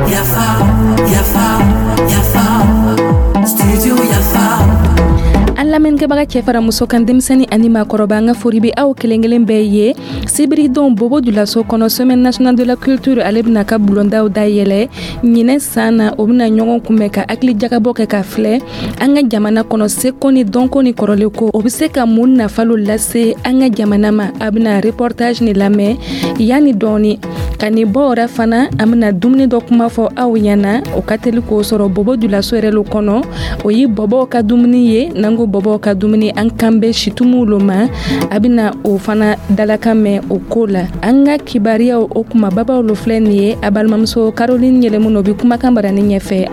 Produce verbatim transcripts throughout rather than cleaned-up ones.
Yafa, Yafa, Yafa, Studio Yafa. An lamɛnnikɛbaga, cɛ fara muso kan, denmisɛnni ani maakɔrɔba, an ka fori bɛ aw kelen kelen bɛɛ ye. Sibiridon, Bobo Julaso kɔnɔ, Semaine nationale de la culture, ale bɛna ka bulondaw dayɛlɛ ɲinɛ san na. O bɛna ɲɔgɔn kunbɛn ka hakili jagabɔ kɛ ka filɛ an ka jamana kɔnɔ, seko ni dɔnko ni kɔrɔlenko, o bɛ se ka mun nafalo lase an ka jamana ma. A bɛna reportage ni lamɛn yanni dɔɔni ka nin bɔ. O fana, an bɛna dumuni dɔ kuma fɔ aw ɲɛna, o ka teli k'o sɔrɔ Bobo Julaso yɛrɛ lo kɔnɔ. O ye bɔbɔw ka dumuni ye. N'an ko bɔbɔw ka dumuni, an kan bɛ situmuw lo ma. A bɛna o fana dalakan mɛn o ko la. An ka kibariyaw, o kumababaw lo filɛ nin ye. A balimamuso Caroline Yɛlɛmu, o bɛ kumakan barani ɲɛfɛ.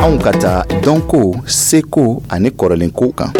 Anw ka taa dɔnko, seko ani kɔrɔlenko kan.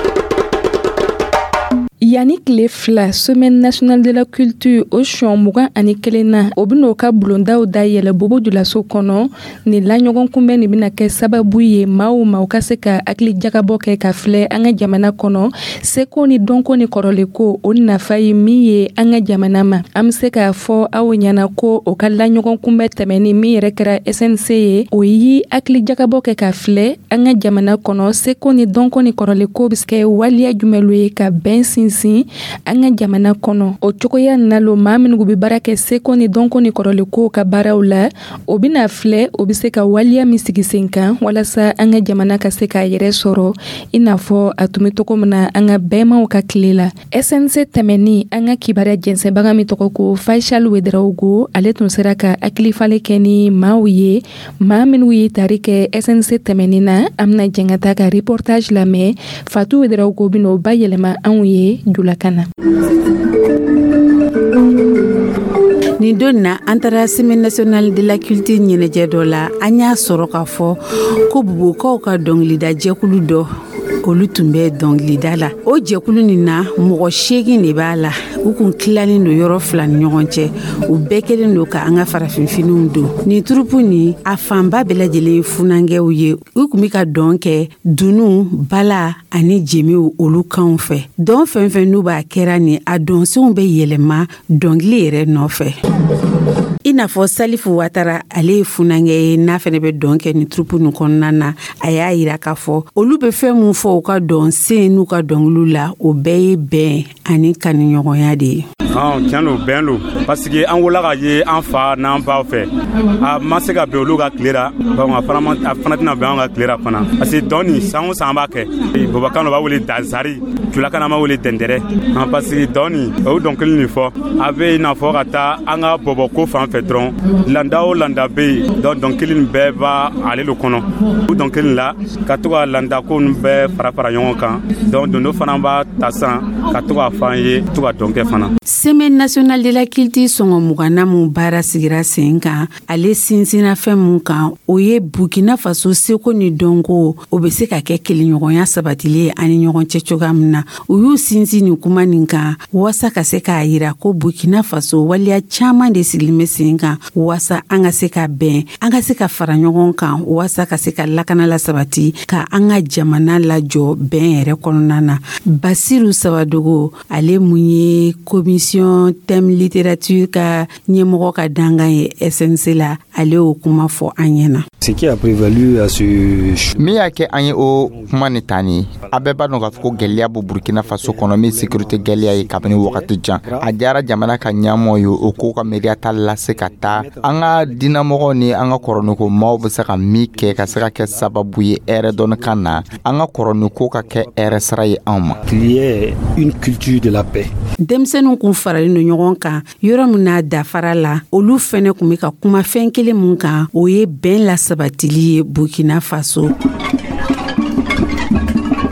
Yanni tile fila, Semaine nationale de la culture, o sɔn mugan ani kelen na, o ben'o ka bulondaw dayɛlɛ Bobo Julaso kɔnɔ. Nin laɲɔgɔn kunbɛn nin bena kɛ sababu ye, maa o maaw ka se ka hakili jagabɔ kɛ ka filɛ an ka jamana kɔnɔ, seko ni dɔnko ni kɔrɔlenko, o nafa ye min ye an ka jamana ma. An be se k'a fɔ aw ɲɛna ko o ka laɲɔgɔn kunbɛn tɛmɛni min yɛrɛ kɛra S N C ye, o yi hakili jagabɔ kɛ ka filɛ an ka jamana kɔnɔ, seko ni dɔnko ni kɔrɔlenko be kɛ waliya jumɛn ye ka bɛn sinsin an ka jamana kɔnɔ. O cogoya na lo, maa minnu bɛ baara kɛ seko ni dɔnko ni kɔrɔlenkow ka baaraw la, o bɛna filɛ o bɛ se ka waliya min sigi sen kan walasa an ka jamana ka se k'a yɛrɛ sɔrɔ i n'a fɔ a tun bɛ cogo min na an ka bɛnmaw ka tile la. S N C tɛmɛni, an ka kibaruya jɛnsɛnbaga min tɔgɔ ko Faisal Ouedraogo, ale tun sera ka hakilifalen kɛ ni maaw ye, maa minnu ye tari kɛ S N C tɛmɛni na. An bɛna jɛn ka taa ka reportage lamɛn. Fatou Ouedraogo bɛna o bayɛlɛma anw ye julakan na. Nin don na, an taara Semaine nationale de la culture ɲɛnajɛ dɔ la. An y'a sɔrɔ k'a fɔ ko Bobokaw ka dɔngilida jɛkulu dɔ, olu tun bɛ dɔngilida la. O jɛkulu nin na, mɔgɔ seegin de b'a la. U kun tilalen don yɔrɔ fila ni ɲɔgɔn cɛ. U bɛɛ kɛlen don ka an ka farafinfiniw don. Nin troupe nin, a fanba bɛɛ lajɛlen ye funankɛw ye. U kun be ka dɔn kɛ dunu, bala ani jemiw, olu kanw fɛ. Dɔn fɛn fɛn n'u b'a kɛra nin, a dɔnsenw bɛ yɛlɛma dɔngili yɛrɛ nɔfɛ. I n'a fɔ Salifu Watara, ale ye funankɛ ye, n'a fɛnɛ bɛ dɔn kɛ nin troupe nin kɔnɔna na. A y'a yira k'a fɔ olu bɛ fɛn mun fɔ u ka dɔn sen n'u ka dɔnkiliw la, o bɛɛ ye bɛn ani kanuɲɔgɔnya de ye. Tiɲɛ don, bɛn don, parce que an wolola ka ye an fa n'an baw fɛ, a ma se ka bɛn olu ka tile la. Donc a fana a fana tɛna bɛn an ka tile la fana, parce que dɔn nin, san o san an b'a kɛ. Bɔbɔkan dɔ b'a wele dazari, julakan an b'a wele dɛndɛrɛ, parce que dɔn nin, o dɔnkili nin fɔ, a bɛ i n'a fɔ ka taa an ka bɔbɔko fan fɛ dɔrɔn. Landa o landa bɛ yen, donc dɔnkili nin bɛɛ b'a ale lo kɔnɔ. O dɔnkili la ka to ka landa ko nin bɛɛ fara fara ɲɔgɔn kan. Donc dondo fana b'a ta san ka to k'a fɔ an ye, to ka dɔn kɛ fana. Semaine nationale de la culture sɔngɔ muganna mun baara sigira sen kan, ale sinsinna fɛn mun kan, o ye Burkina Faso seko ni dɔnko, o be se ka kɛ kelenɲɔgɔnya sabatili ye ani ɲɔgɔn cɛ cogoya min na. U y'u sinsin nin kuma nin kan waasa ka se k'a yira ko Burkina Faso, waleya caaman de sigilen be sen kan waasa an ka se ka bɛn, an ka se ka fara ɲɔgɔn kan, waasa ka se ka lakana la sabati, ka an ka jamana lajɔ bɛn yɛrɛ kɔnɔna na. Basiru Sabadogo, ale mun ye commission thème littérature ka ɲɛmɔgɔ ka dangan ye S N C la, ale y'o kuma fɔ an ɲɛna. Ce qui a prévalu à ce Min y'a kɛ an ye o kuma ni ta nin, a bɛɛ b'a dɔn k'a fɔ ko gwɛlɛya b'o Burkina Faso kɔnɔ, min sécurité gwɛlɛya ye kabini wagati jan. A diyara jamana ka ɲɛmɔgɔ ye, o k'o ka miiriya ta lase ka taa an ka dinamɔgɔw ni an ka kɔrɔniko maaw bɛ se ka min kɛ ka se ka kɛ sababu ye hɛrɛ dɔɔni ka na, an ka kɔrɔniko ka kɛ hɛrɛ sira ye anw ma. Qu'il y ait une culture de la paix. Denmisɛnninw kun faralen don ɲɔgɔn kan yɔrɔ min n'a dafara la, olu fɛnɛ kun be ka kuma fɛn kelen mun kan, o ye bɛn lasabatili ye Burkina Faso.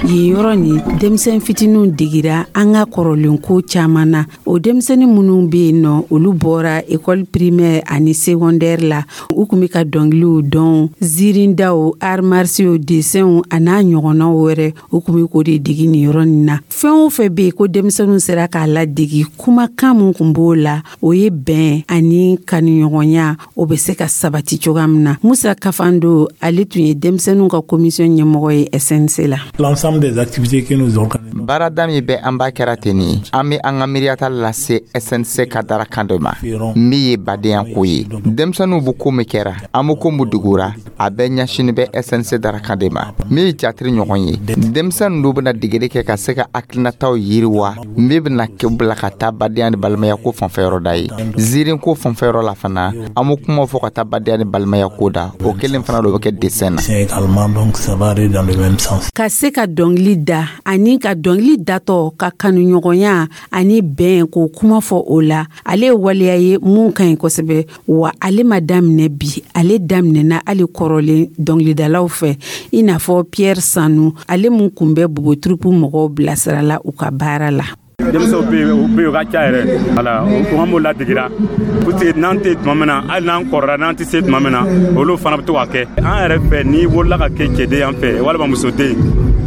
Yen yɔrɔ nin, denmisɛn fitininw degira an ka kɔrɔlenko caaman na. O denmisɛnnin minnu be yen nɔ, olu bɔra école primaire ani secondaire la. U kun be ka dɔngiliw dɔn, ziirindaw, arts martiaux, dessinw a n'a ɲɔgɔnnaw wɛrɛ, u kun be k'o de degi nin yɔrɔ nin na. Fɛn o fɛn be yen ko denmisɛnninw sera k'a ladegi, kumakan mun kun b'o la, o ye bɛn ani kanuɲɔgɔnya, o be se ka sabati cogoya min na. Musa Kafando, ale tun ye denmisɛnninw ka commission ɲɛmɔgɔ ye S N C la. L'ensemble L'ensemble des activités que nous organisons. Baarada min bɛ an b'a kɛra ten nin, an bɛ an ka miiriyata lase S N C ka darakan dɔ ma min ye badenya ko ye. Denmisɛnninw bɛ ko min kɛra, an bɛ ko min dugura, a bɛɛ ɲɛsini bɛ S N C darakan de ma min ye jatiri ɲɔgɔn ye. Denmisɛnnin dɔw bɛna degeli kɛ ka se ka hakilinataw yiriwa min bɛna kɛ bila ka taa badenya ni balimaya ko fanfɛyɔrɔ da ye. Ziiri ko fanfɛyɔrɔ la fana, an bɛ kumaw fɔ ka taa badenya ni balimaya ko da. O kelen fana dɔ bɛ kɛ dessin na. Également, donc ça va aller dans le même sens. Ka se ka dɔngili da ani ka dɔngili datɔ ka kanuɲɔgɔnya ani bɛn k'o kuma fɔ o la, ale ye waleya ye mun ka ɲi kosɛbɛ. Wa ale ma daminɛ bi, ale daminɛna hali kɔrɔlen dɔngilidalaw fɛ, i n'a fɔ Pierre Sanu, ale mun kun bɛ Bobo Troupe mɔgɔw bilasirala u ka baara la. Denmisɛnw bɛ yen, o bɛ yen, o ka ca yɛrɛ. Wala o an b'o ladegera, parce n'an tɛ tuma min na, hali n'an kɔrɔra, n'an tɛ se tuma min na, olu fana bɛ to ka kɛ an yɛrɛ fɛ. N'i wolola ka kɛ cɛden yan fɛ walima musoden,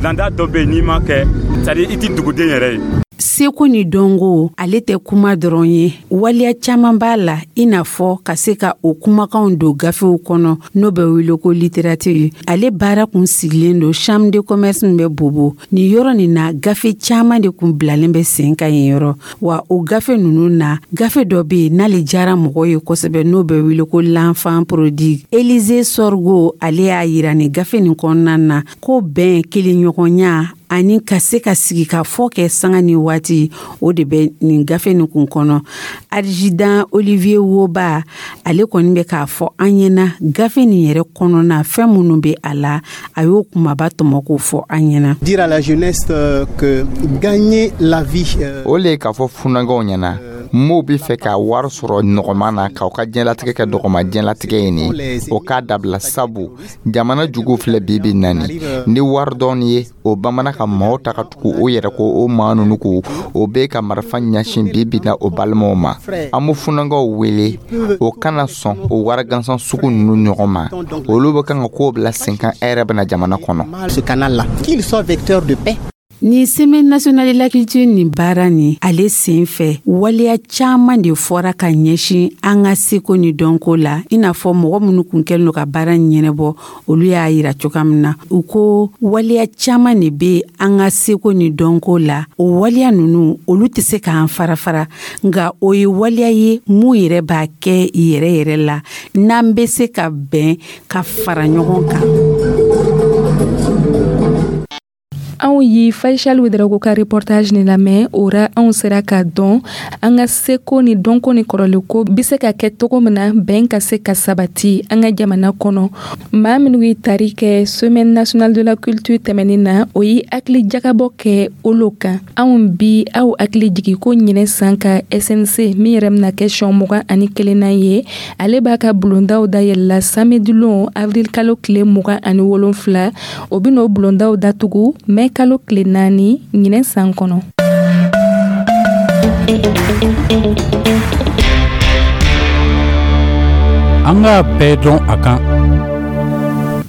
landa dɔ bɛ yen, n'i ma kɛ, c'est à dire i tɛ duguden yɛrɛ ye. Seko ni dɔnko, ale tɛ kuma dɔrɔn ye, waleya caaman b'a la, i n'a fɔ ka se ka o kumakanw don gafew kɔnɔ, n'o bɛ wele ko littérature. Ale baara kun sigilen don chambre de commerce min bɛ Bobo nin yɔrɔ nin na. Gafe caaman de kun bilalen bɛ sen kan yen yɔrɔ. Wa o gafe nunu na, gafe dɔ be yen n'ale jara mɔgɔ ye kosɛbɛ, n'o bɛ wele ko L'Enfant prodigue. Elize Sorgo, ale y'a yira nin gafe nin kɔnɔna na ko bɛn, kelenɲɔgɔnya ani ka se ka sigi ka fɔ kɛ sanga ni waati, o de bɛ nin gafe nin kun kɔnɔ. Adjudant Olivier Woba, ale kɔni bɛ k'a fɔ an ɲɛna gafe nin yɛrɛ kɔnɔna, fɛn minnu bɛ a la, a y'o kumaba tɔmɔ k'o fɔ an ɲɛna. Dire à la jeunesse euh, que gagner la vie euh, O le ye k'a fɔ funankɛw ɲɛna, m'o be fɛ ka wari sɔrɔ nɔgɔman na, k'aw ka diɲɛlatigɛ kɛ dɔgɔma diɲɛlatigɛ ye nin, o k'a dabila, sabu jamana jugu filɛ bi bi nani ni wari dɔɔni ye, o bamana ka maaw ta ka tugu o yɛrɛ ko. O maa nunu ko o be ka marifa ɲɛsin bi bi na o balimaw ma. An be funankɛw wele, o kana sɔn o wari gansan sugu nunu ɲɔgɔn ma. Olu be kan ka koo bila sen kan e yɛrɛ bena jamana kɔnɔ. Ce canal-là, qu'il soit vecteur de paix. Ni Semaine nationale de la culture nin baara nin, ale sen fɛ, waleya caaman de fɔra ka ɲɛsin an ka seko ni dɔnko la, i n'a fɔ mɔgɔ minnu kun kɛlen do ka baara ɲɛnɛbɔ, olu y'a yira cogoya min na. U ko waleya caaman de be an ka seko ni dɔnko la. O waleya nunu, olu tɛ se k'an fara fara, nka o ye waleya ye mun yɛrɛ b'a kɛ yɛrɛ yɛrɛ la n'an be se ka bɛn ka fara ɲɔgɔn kan. Anw yi Faisal Ouedraogo ka reportage ni lamɛn. O ra, anw sera k'a dɔn an ka seko ni dɔnko ni kɔrɔlenko be se ka kɛ togo min na bɛn ka se ka sabati an ka jamana kɔnɔ. Maa minnu ye tari kɛ Semaine nationale de la culture tɛmɛnin na, o ye hakili jagabɔ kɛ olu kan. Anw bi aw hakili jigi ko ɲinɛ san ka S N C min yɛrɛ bɛna kɛ siyɛn mugan ani kelenna ye, ale b'a ka bulondaw dayɛlɛla samedi lon, avril kalo tile mugan ani wolonfila. O bɛn'o bulondaw datugu mɛ kalo tile naani ɲinɛ san kɔnɔ. An k'a bɛɛ dɔn a kan.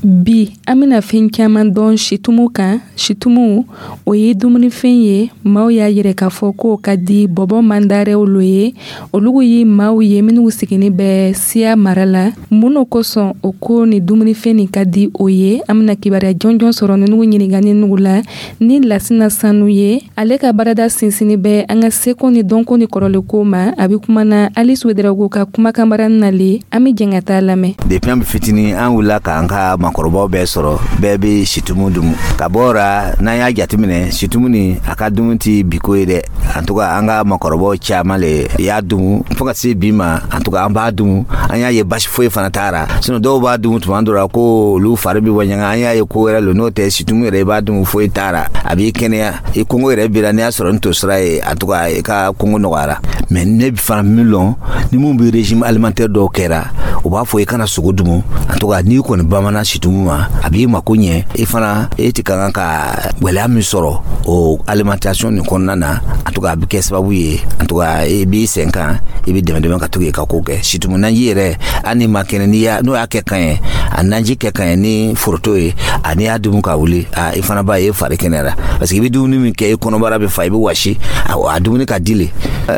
Bi, an bena fɛn caaman dɔn situmu kan. Situmu, o ye dumunifɛn ye, maaw y'a yɛrɛ k'a fɔ k'o ka di bɔbɔ mandarɛw lo ye. Olugu ye maaw ye minnu sigini bɛ Siya mara la. Mun no kosɔn o ko ni dumunifɛn nin ka di o ye? An bena kibaruya jɔnjɔn sɔrɔ ninugu ɲiningani nugu la ni Lasina Sanu ye. Ale ka baarada sinsini bɛ an ka seko ni dɔnko ni kɔrɔlenko ma. A be kumana Alice Ouedraogo ka kumakanbara nale. An be jɛn ka taa lamɛn. Depuis an bɛ fitinin, an wulila k'an ka makɔrɔbaw bɛɛ sɔrɔ, bɛɛ bɛ situmu dumu ka bɔ ra. N'an y'a jateminɛ, situmu ni a ka dumuni tɛ biko ye dɛ. En tout cas, an ka makɔrɔbaw caman le y'a dumu fo ka se bi ma. En tout cas, an b'a dumu, an y'a ye basi foyi fana t'a ra. Sinon dɔw b'a dumu tuma dɔ la ko olu fari bɛ bɔ ɲaga. An y'a ye ko wɛrɛ lo. N'o tɛ, situmu yɛrɛ, i b'a dumu, foyi t'a ra, a b'i kɛnɛya, i kɔngɔ yɛrɛ b'i la. N'i y'a sɔrɔ ni tosira ye, en tout cas i ka kɔngɔ nɔgɔyara. Mais ne fana min lɔn, ni mun bɛ régime alimentaire dɔw kɛra, u b'a fɔ i kana sogo dumu. En tout cas, n'i kɔni bamana situmu ma, a b'i mako ɲɛ. I fana e ti ka kan ka gwɛlɛya min sɔrɔ o alimentation nin kɔnɔna na, en tout cas a bɛ kɛ sababu ye, en tout cas i b'i sen kan, i bɛ dɛmɛ dɛmɛ ka to k'i ka ko kɛ. Situmu naji yɛrɛ, hali n'i ma kɛnɛ, n'i y'a n'o y'a kɛ kan ye, a naji kɛ kan ye ni foroto ye, a n'i y'a dumu ka wuli, a i fana b'a ye fari kɛnɛyara, parce que i bɛ dumuni min kɛ, i kɔnɔbara bɛ fa, i bɛ wasi, a dumuni ka di le.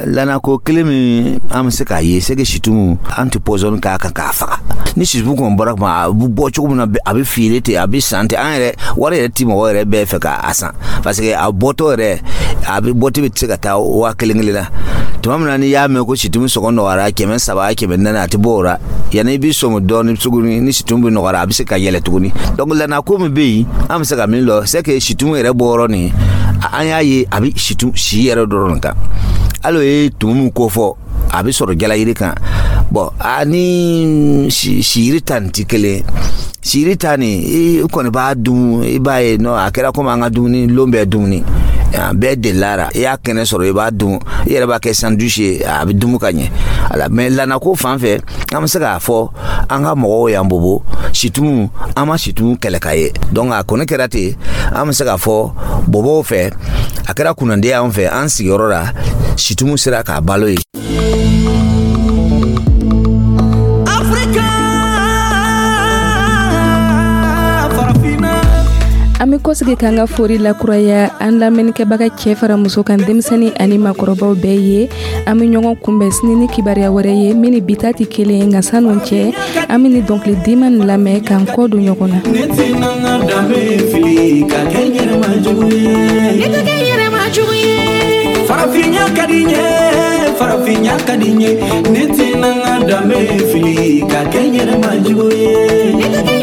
Lana Ko kelen min an bɛ se k'a ye, c'est que situmu, an tɛ pɔsɔni k'a kan k'a faga. Ni situmu kɔni bɔra kuma, a bɛ bɔ cogo min na, a bɛ feere ten, a bɛ san ten. An yɛrɛ wari yɛrɛ ti mɔgɔ yɛrɛ bɛɛ fɛ k'a san, parce que a bɔtɔ yɛrɛ, a bɛ bɔti bɛ se ka taa waa kelen kelen na. Tuma min na n'i y'a mɛn ko situmu sɔngɔ nɔgɔyara kɛmɛ saba, kɛmɛ naani, a tɛ bɔ o la. Yanni i bɛ sɔmi dɔɔni tuguni, ni situmu bɛ nɔgɔyara, a bɛ se ka yɛlɛ tuguni. Donc lana ko min bɛ yen, an bɛ se ka min lɔ, c'est que situmu yɛrɛ bɔyɔrɔ nin, an y'a ye a bɛ situ si yɛrɛ dɔrɔn kan. Hali o ye tumu min ko fɔ, a bɛ sɔrɔ jalayiri kan. Bɔn, a ni siyiri ta nin ti kelen. Siyiri ta nin, i kɔni b'a dun, i b'a ye nɔ, a kɛra komi an ka dumuni lon bɛɛ, dumuni bɛɛ delila. I y'a kɛnɛ sɔrɔ, i b'a dun, i yɛrɛ b'a kɛ sandwich ye, a bɛ dumu ka ɲɛ ala. Mais lanako fan fɛ, an bɛ se k'a fɔ an ka mɔgɔw y'an bobo situmu, an ma situmu kɛlɛ ka ye. Donc a kɔni kɛra ten, an bɛ se k'a fɔ bobow fɛ, a kɛra kunnandi y'an fɛ, an sigiyɔrɔ la, situmu sera k'a balo ye. Africa, Farafina. An bɛ kɔsigi k'an ka fori lakuraya an lamɛnnikɛbaga cɛ fara muso kan, denmisɛnnin ani makɔrɔbaw bɛɛ ye. An bɛ ɲɔgɔn kunbɛn sini ni kibaruya wɛrɛ ye min ni bi ta tɛ kelen ye. Nka san'o cɛ, an bɛ ni dɔnkili diman nin lamɛn k'an kɔ don ɲɔgɔn na. Ne tɛna n ka danbe fili ka kɛ n yɛrɛ ma jugu ye. Ne tɛ kɛ n yɛrɛ ma jugu ye. Farafinya ka di n ye, farafinya ka di n ye. Ne tɛna n ka danbe fili ka kɛ n yɛrɛ ma jugu ye. Ne tɛ kɛ